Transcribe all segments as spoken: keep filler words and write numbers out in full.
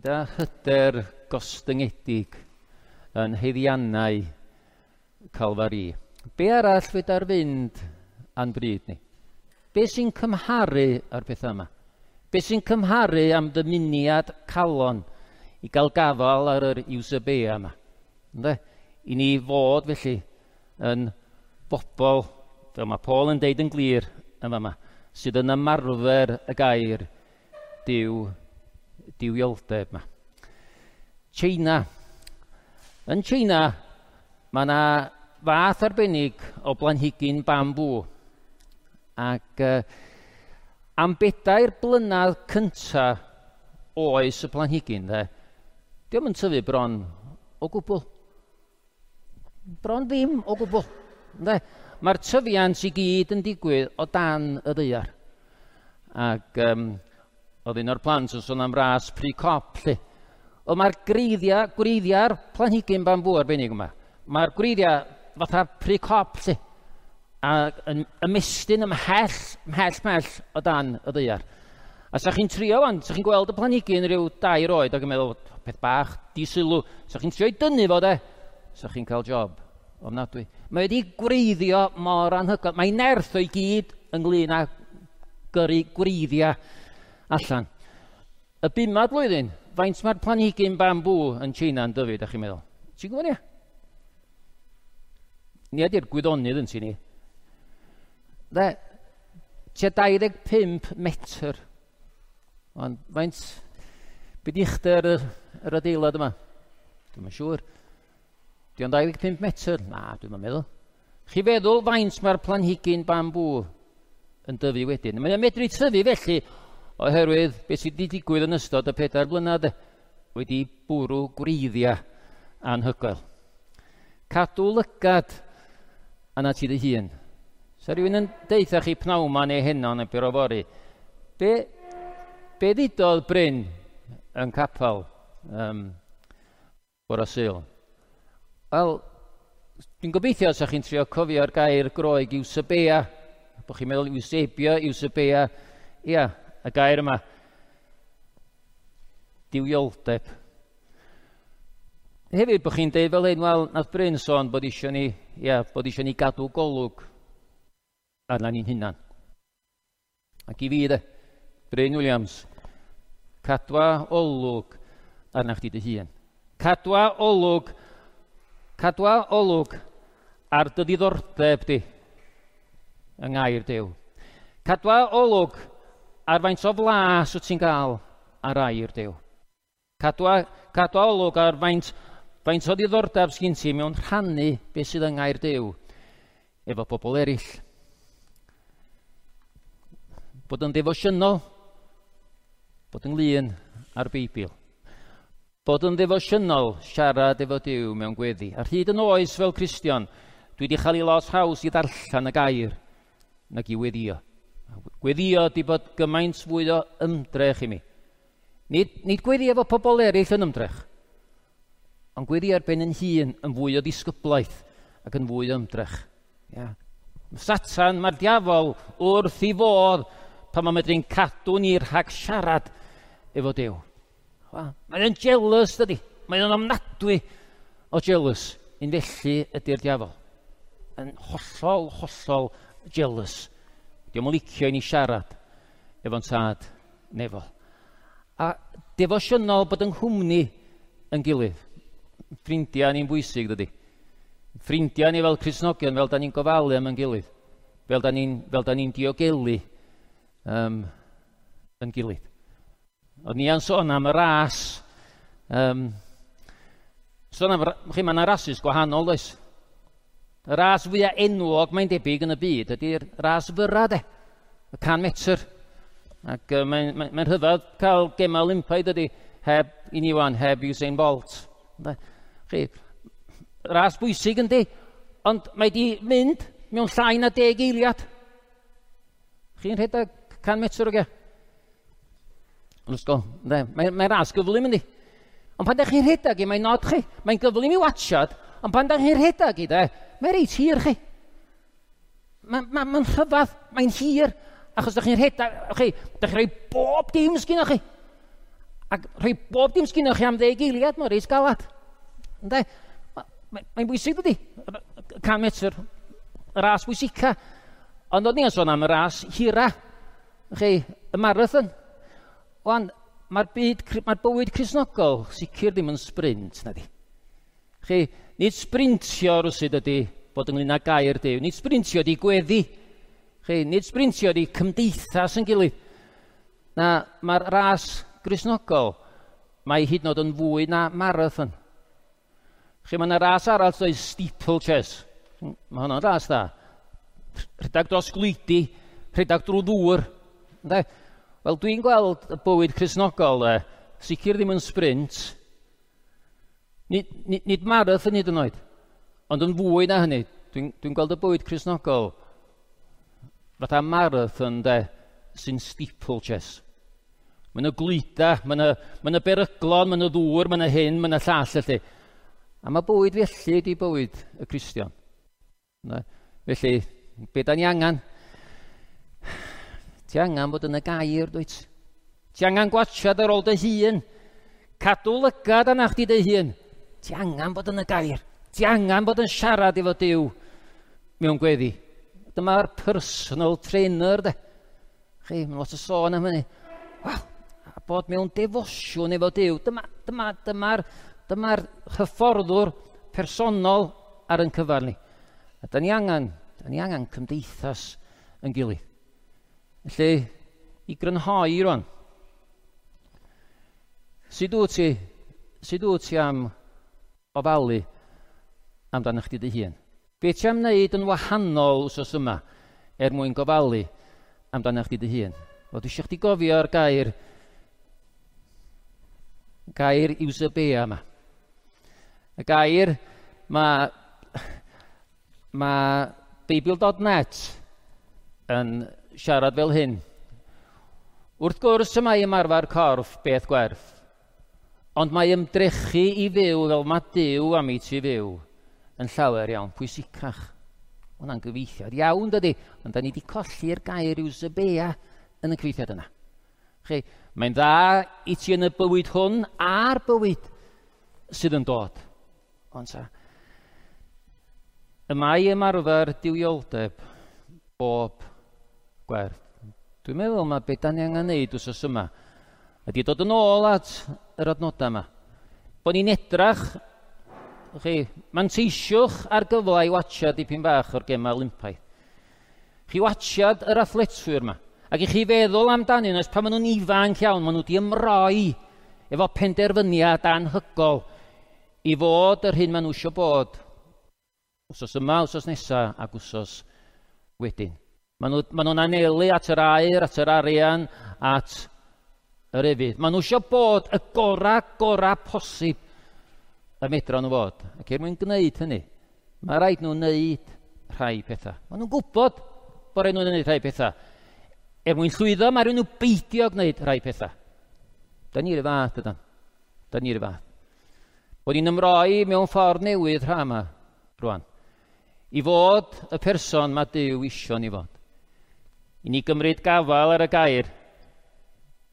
Gyda hyder gostyngedig yn haeddiannau Calfari. Be arall fedar fynd a'n bryd ni? Be sy'n cymharu â'r pethau yma? Be sy'n cymharu am ddymuniad calon i gael gafael ar yr eusebeia yma? Ynde? I ni fod felly yn bobl, fel mae Paul yn deud yn glir yn fama, sydd yn ymarfer y gair Duw, duwioldeb yma. China. Yn China, mae yna fath arbennig o blanhigyn bambŵ. Ac uh, am bedair blynedd cynta oes y planhigyn, de, dio'm yn tyfu bron o gwbl. Bron ddim o gwbl. De. Mae'r tyfiant i gyd yn digwydd o dan y ddaear. Ac um, oedd un o'r plant yn sôn am ras pry cop, lle. Wel, mae'r gwreiddiau, gwreiddiau'r planhigyn bambŵ arbennig yma. Mae'r gwreiddiau fatha pry cop, lle. A yn ymestyn ymhell, ymhell, ymhell o dan y ddaear. A sa chi'n trio wan, sa chi'n gweld y planhigyn rhyw dair oed ac yn meddwl, peth bach, di-sylw. Sa chi'n trio i dynnu fo, de, sa chi'n cael job ofnadwy. Mae wedi gwreiddio mor anhygoel. Mae nerth o'i gyd ynglyn â gyrru gwreiddiau allan. Y bumad blwyddyn, faint mae'r planhigyn bambŵ yn China yn dyfu, da chi'n meddwl? Ti'n gwybod ni? Ni ydy'r gwyddonydd yn ti ni. De, tua dau ddeg pump metr. Ond faint, be di uchder yr, yr adeilad yma? Dwi'm yn siŵr. Di o'n dau ddeg pump metr? Na, dwi'm yn meddwl. Chi feddwl faint mae'r planhigyn bambŵ yn dyfu wedyn? Mae'n medru tyfu felly oherwydd beth sydd wedi digwydd yn ystod y pedair blynedd wedi bwrw gwreiddiau anhygoel. Cadw lygad arna ti dy hun. Sa rhywun yn deutha chi pnawn ma neu heno neu bore fory, be, be ddudodd Bryn yn capel um, bore Sul? Wel, dwi'n gobeithio sa chi'n trio cofio'r gair Groeg eusebeia, bod chi'n meddwl eusebia, eusebeia, ia, y gair yma, duwioldeb. Hefyd bod chi'n deud fel hyn, wel, nath Bryn sôn bod isio ni, ia, bod isio ni gadw golwg arna ni'n hunan. Ac i fi de, Bryn Williams, cadwa olwg arna chdi dy hun. Cadwa olwg, cadwa olwg ar dy ddiddordeb di yng ngair Duw. Cadwa olwg ar faint o flas wyt ti'n gael ar air Duw. Cadwa, cadwa olwg ar faint, faint o ddiddordeb sgyn ti mewn rhannu beth sydd yng ngair Duw efo pobl eraill. Bod yn ddefosiynol, bod ynglyn â'r Beibl. Bod yn ddefosiynol, siarad efo Duw mewn gweddi. Ar hyd yn oes fel Cristion, dwi wedi chael ei lot haws i ddarllen y gair nag i weddio. Gweddio di bod gymaint fwy o ymdrech i mi. Nid, nid gweddi efo pobl eraill yn ymdrech, ond gweddi ar ben yn hun yn fwy o ddisgyblaeth ac yn fwy o ymdrech. Yeah. Satan, mae'r diafol wrth i fodd pan mae'n medru'n cadw ni rhag siarad efo Duw. Mae'n jealous, dydy. Mae'n ofnadwy o jealous. Un felly ydy'r diafol. Yn hollol, hollol jealous. Dio'm yn licio i ni siarad efo'n tad nefol. A defosiynol bod yng nghwmni yn gilydd. Ffrindiau ni'n bwysig, dydy. Ffrindiau ni fel Cristnogion, fel da ni'n gofalu am yn gilydd. Fel da ni'n ni diogelu um, yn gilydd. Oedd ni yn sôn am y ras. Um, sôn am, chi, mae yna rasus gwahanol, does? Y ras fwyaf enwog, mae'n debyg yn y byd, ydy'r ras fyra, de. Y can metr. Ac uh, mae'n mae, mae rhyfedd cael gemau Olympaidd, ydy, heb i ni wan, heb Usain Bolt. De. Chi, ras bwysig yndi, ond mae di mynd mewn llai na deg eiliad. Chi'n rhedeg can metr o ge? Yn ysgol, mae'n mae ras gyflym yndi. Ond pan da chi'n rhedeg i, mae'n nod chi. Mae'n gyflym i watchad, ond pan da chi'n rhedeg i, de, mae'n reit hir chi. Mae'n ma, ma rhyfedd, mae'n hir, achos da chi'n rhedeg, chi, da chi'n rhoi bob dim sgynnoch chi. Ac rhoi bob dim sgynnoch chi am ddeg eiliad, mae'n reit galad. Ynde? Mae'n bwysig dydy, can metr, y ras bwysica. Ond o'n i'n sôn am y ras hira, chi, y marathon. Wan, mae'r byd, mae'r bywyd Cristnogol sicr ddim yn sprint, na di. Chi, nid sprintio rwsyd ydy bod ynglyn â gair Duw, nid sprintio ydy gweddi. Chi, nid sprintio ydy cymdeithas yn gilydd. Na, mae'r ras Gristnogol, mae hyd yn oed yn fwy na marathon. Chi, mae yna ras arall dweud steeplechase. Mae hwnna'n ras dda. Rhedeg dros glwydi, rhedeg drwy ddŵr. Ynde? Wel, dwi'n gweld y bywyd Cristnogol, e, sicr ddim yn sprint, nid, nid, nid marathon hyd yn oed, ond yn fwy na hynny. Dwi'n dwi gweld y bywyd Cristnogol fatha marathon, de, sy'n steeplechase. Mae yna glwyda, mae yna, mae yna beryglon, mae yna ddŵr, mae yna hyn, mae yna llall felly. A mae bywyd felly ydi bywyd y Cristion. Na? Felly, be da ni angen? Ti angen bod yn y gair, dwyt? Ti angen gwatsiad ar ôl dy hun. Cadw lygad arna chdi dy hun. Ti angen bod yn y gair. Ti angen bod yn siarad efo Duw mewn gweddi. Dyma'r personal trainer, de. Chi, mae'n lot o sôn am hynny. Wel, a bod mewn defosiwn efo Duw. Dyma, dyma, dyma'r dyma'r hyfforddwr personol ar yn cyfar ni. A da ni angen, da ni angen cymdeithas yn gilydd. Felly, i grynhoi rwan, sut wyt ti, sut wyt ti am ofalu amdano chdi dy hun? Be ti am wneud yn wahanol wsos yma er mwyn gofalu amdano chdi dy hun? Wel, dwi eisiau chdi gofio'r gair, gair Eusebia yma. Y gair mae ma Beibl dot net yn siarad fel hyn. Wrth gwrs y mae ymarfer corff beth gwerth, ond mae ymdrechu i fyw fel mae Duw am i ti fyw yn llawer iawn pwysicach. Hwnna'n gyfieithiad iawn, dydy, ond da ni wedi colli'r gair Eusebia yn y cyfieithiad yna. Chi, mae'n dda i ti yn y bywyd hwn a'r bywyd sydd yn dod. Ond sa, y mae ymarfer duwioldeb bob gwerth. Dwi'n meddwl mae beth da ni angen neud wsos yma ydy dod yn ôl at yr adnodau yma. Bod ni'n edrach, chi, manteisiwch ar gyfle i watsiad dipyn bach o'r gemau Olympaidd. Chi watsiad yr athletwyr yma, ac i chi feddwl amdanyn nhw, pan maen nhw'n ifanc iawn, maen nhw wedi ymroi efo penderfyniad anhygol i fod yr hyn maen nhw eisiau bod. Wsos yma, wsos nesa, ac wsos wedyn. Maen nhw, maen nhw'n anelu at yr aur, at yr arian, at yr efydd. Maen nhw eisiau bod y gora, gora posib y medra nhw fod. Ac er mwyn gwneud hynny, mae rhaid nhw wneud rhai pethau. Maen nhw'n gwybod bod rhaid nhw'n gwneud rhai pethau. Er mwyn llwyddo, mae rhaid nhw beidio gwneud rhai pethau. Da ni'r fath, ydan. Da ni'r fath. Bod ni'n ymroi mewn ffordd newydd rha yma, rwan. I fod y person mae Duw isio ni fod. I ni gymryd gafael ar y gair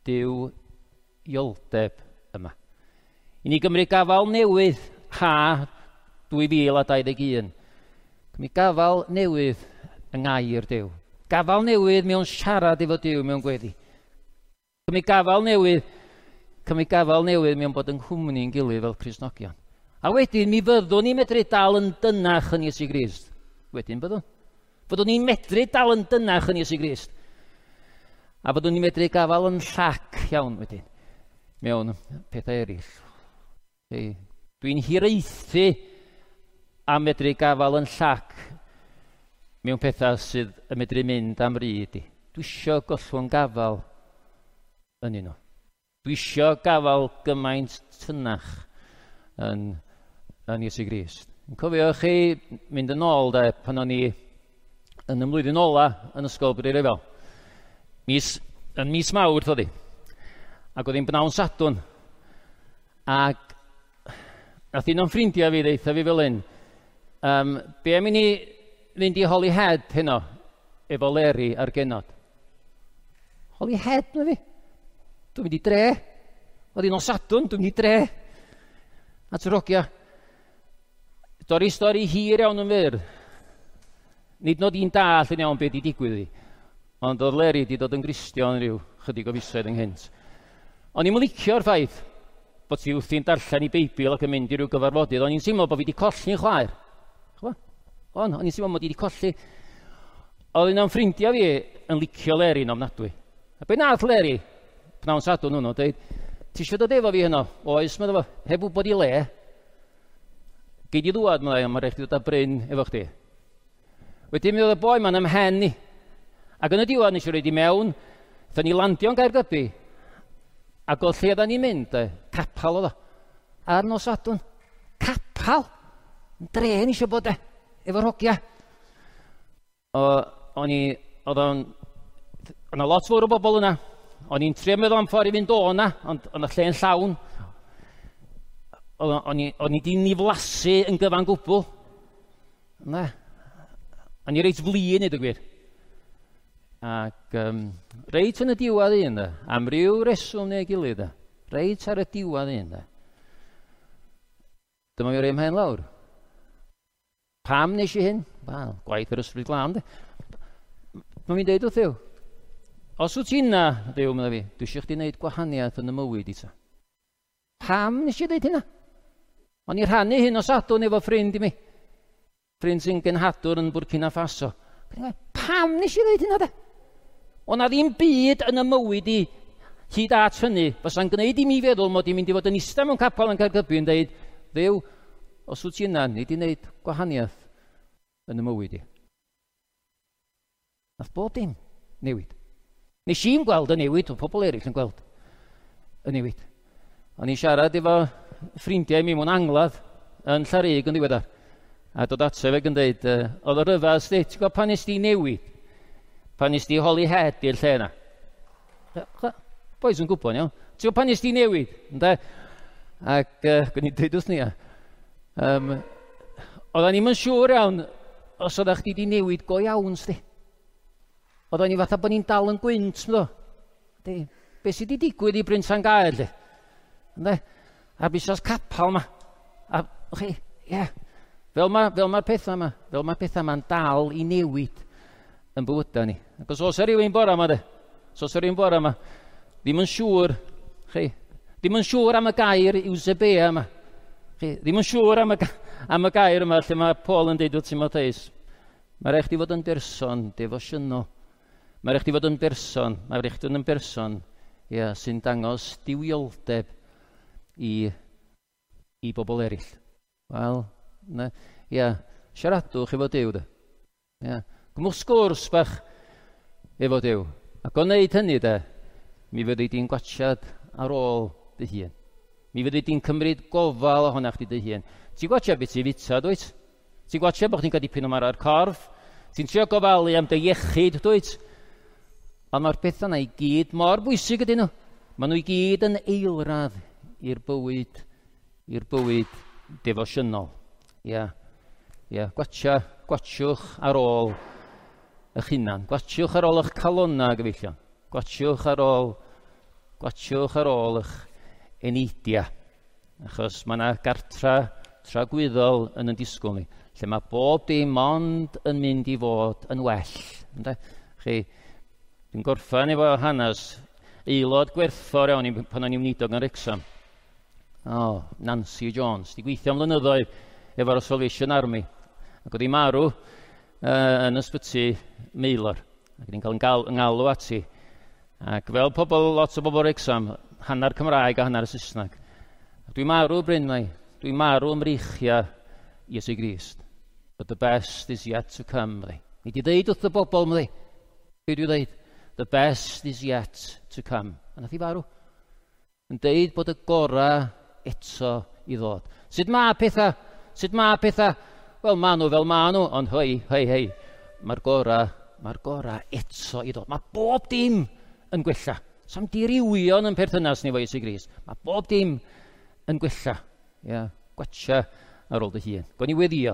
duwioldeb yma. I ni gymryd gafael newydd ha dwy fil a dau ddeg un. Cymryd gafael newydd yng ngair Duw. Gafael newydd mewn siarad efo Duw mewn gweddi. Cymryd gafael newydd, cymryd gafael newydd mewn bod yng nghwmni'n gilydd fel Cristnogion. A wedyn mi fyddwn ni'n medru dal yn dynach yn Iesu Grist. Wedyn byddwn. Fyddwn ni'n medru dal yn dynach yn Iesu Grist. A fyddwn ni'n medru gafael yn llac iawn wedyn mewn pethau eraill. Dwi'n hiraethu am medru gafael yn llac mewn pethau sydd yn medru mynd am ryd i. Dwi isio gollwng gafael yn un nhw. Dwi isio gafael gymaint tynach yn, yn Iesu Grist. Yn cofio chi mynd yn ôl de, pan o'n i yn y mlwyddyn ola yn ysgol Brynrefail. Mis, yn mis Mawrth oedd hi. Ac oedd hi'n bnawn Sadwrn. Ac nath un o'n ffrindiau fi ddeutha fi fel hyn, um, be am i ni fynd i Holyhead heno efo Leri a'r genod? Holyhead na fi? Dwi'n mynd i dre. Oedd hi'n nos Sadwrn, dwi'n mynd i dre. At yr hogia. Dorri stori hir iawn yn fyr. Nid nod i'n dall yn iawn beth i digwydd i. Ond oedd Leri wedi dod yn Gristion rhyw chydig o fisoedd ynghynt. O'n i'n licio'r ffaith bod ti wrthi'n darllen i Beibl ac yn mynd i ryw gyfarfodydd. O'n i'n teimlo bod fi wedi colli'n chwaer. Chwa? On, o'n i'n teimlo mod i wedi colli. Oedd un o'n ffrindiau fi yn licio Leri'n ofnadwy. A be nath Leri, pnawn Sadwrn hwnnw, dweud, ti eisiau dod efo fi heno? Oes, meddwl fo, heb wybod i le. Gei di ddwad, meddai, ond mae rhaid chdi dod â Bryn efo chdi. Wedyn mi oedd y boi ma'n ymhen i. Ac yn y diwedd nes i roed i mewn, ddaethon ni landio'n Gaergybi, ac oedd lle oedden ni'n mynd, de, capal oedd o. Ar nos Sadwrn, capal! Yn dre ni eisiau bod, de, efo'r hogia. O, o'n i, oedd o'n, oedd 'na lot fawr o bobl yna. O'n i'n trio meddwl am ffordd i fynd o yna, ond oedd y lle'n llawn. O'n i, o'n i di niflasu yn gyfan gwbl. Na. O'n i reit flin, i ddweud gwir. Ac um, reit yn y diwedd un, da, am ryw reswm neu gilydd, da, reit ar y diwedd un, da. Dyma fi roi mhen lawr. Pam nes i hyn? Wel, gwaith yr Ysbryd Glân, de. Mae'n fi'n deud wrth Dduw, os wyt ti yna, Dduw, medda fi, dwi eisiau chdi wneud gwahaniaeth yn y mywyd i ta. Pam nes i ddeud hynna? O'n i rhannu hyn o Sadwrn efo ffrind i mi. Ffrind sy'n genhadwr yn Burkina Faso. Pam nes i ddeud hynna de? O na ddim byd yn y mywyd i hyd at hynny fysa'n gwneud i mi feddwl mod i'n mynd i fod yn eistedd mewn capel yn Caergybi yn deud, Dduw, os wyt ti yna, nei di wneud gwahaniaeth yn y mywyd i. Nath bob dim newid. Nes i'n gweld y newid, oedd pobl eraill yn gweld y newid. O'n i'n siarad efo ffrindiau mi mewn angladd yn Llarug yn ddiweddar. A dod ato fe yn dweud, uh, oedd o ryfedd, sti, ti'n gwybod pan nes di newid? Pan nes di Holyhead i'r lle yna? Boys yn gwybod, iawn. Ti'n gwybod pan nes di newid? Ynde? Ac uh, gwni dweud wrth ni. Um, oedden ni'm yn siŵr iawn os oeddech chdi di newid go iawn, sti. Oedden ni fatha bod ni'n dal yn gwynt, mdo. Di, be sydd wedi digwydd i Bryn Llangaer, lle? Ynde? A busas capal ma. A, chi, ie. Yeah. Fel mae'r fel ma pethau yma, fel mae'r pethau yma'n dal i newid yn bywydau ni. Ac os oes rhywun bora yma, de, os oes rhywun bora yma, ddim yn siŵr, chi, ddim yn siŵr am y gair Eusebia yma. Chi, ddim yn siŵr am y, am y gair yma lle mae Paul yn deud wrth Timotheus. Mae rhaid chdi fod yn berson defosiynol. Mae rhaid chdi fod yn berson, mae rhaid chdi fod yn berson, ia, sy'n dangos duwioldeb i, i bobl eraill. Wel, na, ia, siaradwch efo Duw, de. Ia, gymwch sgwrs bach efo Duw. Ac o wneud hynny, de, mi fyddi di'n gwatsiad ar ôl dy hun. Mi fyddi di'n cymryd gofal ohona chdi dy hun. Ti'n gwatsiad beth ti'n fita, dwyt? Ti'n gwatsiad bod chdi'n cael dipyn o mar ar corff? Ti'n trio gofalu am dy iechyd, dwyt? Ond mae'r pethau yna i gyd mor bwysig ydyn nhw. Maen nhw i gyd yn eilradd i'r bywyd, i'r bywyd defosiynol. Ia, ia, gwatsia, gwatsiwch ar ôl eich hunan. Gwatsiwch ar ôl eich calonna, gyfeillion. Gwatsiwch ar ôl, gwatsiwch ar ôl eich eneidia. Achos mae yna gartra tragwyddol yn yn disgwyl ni, lle mae bob dim ond yn mynd i fod yn well. Ynde? Chi, dwi'n gorffan efo hanes aelod gwerthfawr iawn i pan o'n i'n weinidog yn Wrecsam. O, Nancy Jones, di gweithio am flynyddoedd efo'r Salvation Army. Ac oedd hi marw uh, yn ysbyty Maelor. Ac oedd hi'n cael yn ngalw ati. Ac fel pobl, lot o bobl Wrecsam, hanner Cymraeg a hanner Saesneg. Ac dwi'n marw, Bryn, mai. Dwi'n marw ym mreichiau Iesu Grist. But the best is yet to come, meddai. Ni di ddeud wrth y bobl, meddai. Be dwi ddeud? The best is yet to come. A nath hi farw. Yn deud bod y gorau eto i ddod. Sut mae pethau? Sut mae pethau? Wel, ma nhw fel ma nhw, ond hei, hei, hei, mae'r gorau, mae'r gorau eto i ddod. Mae bob dim yn gwella. Sa'm diriwion yn perthynas ni efo Iesu Grist. Mae bob dim yn gwella. Ia, gwatsia ar ôl dy hun. Gwn i weddio.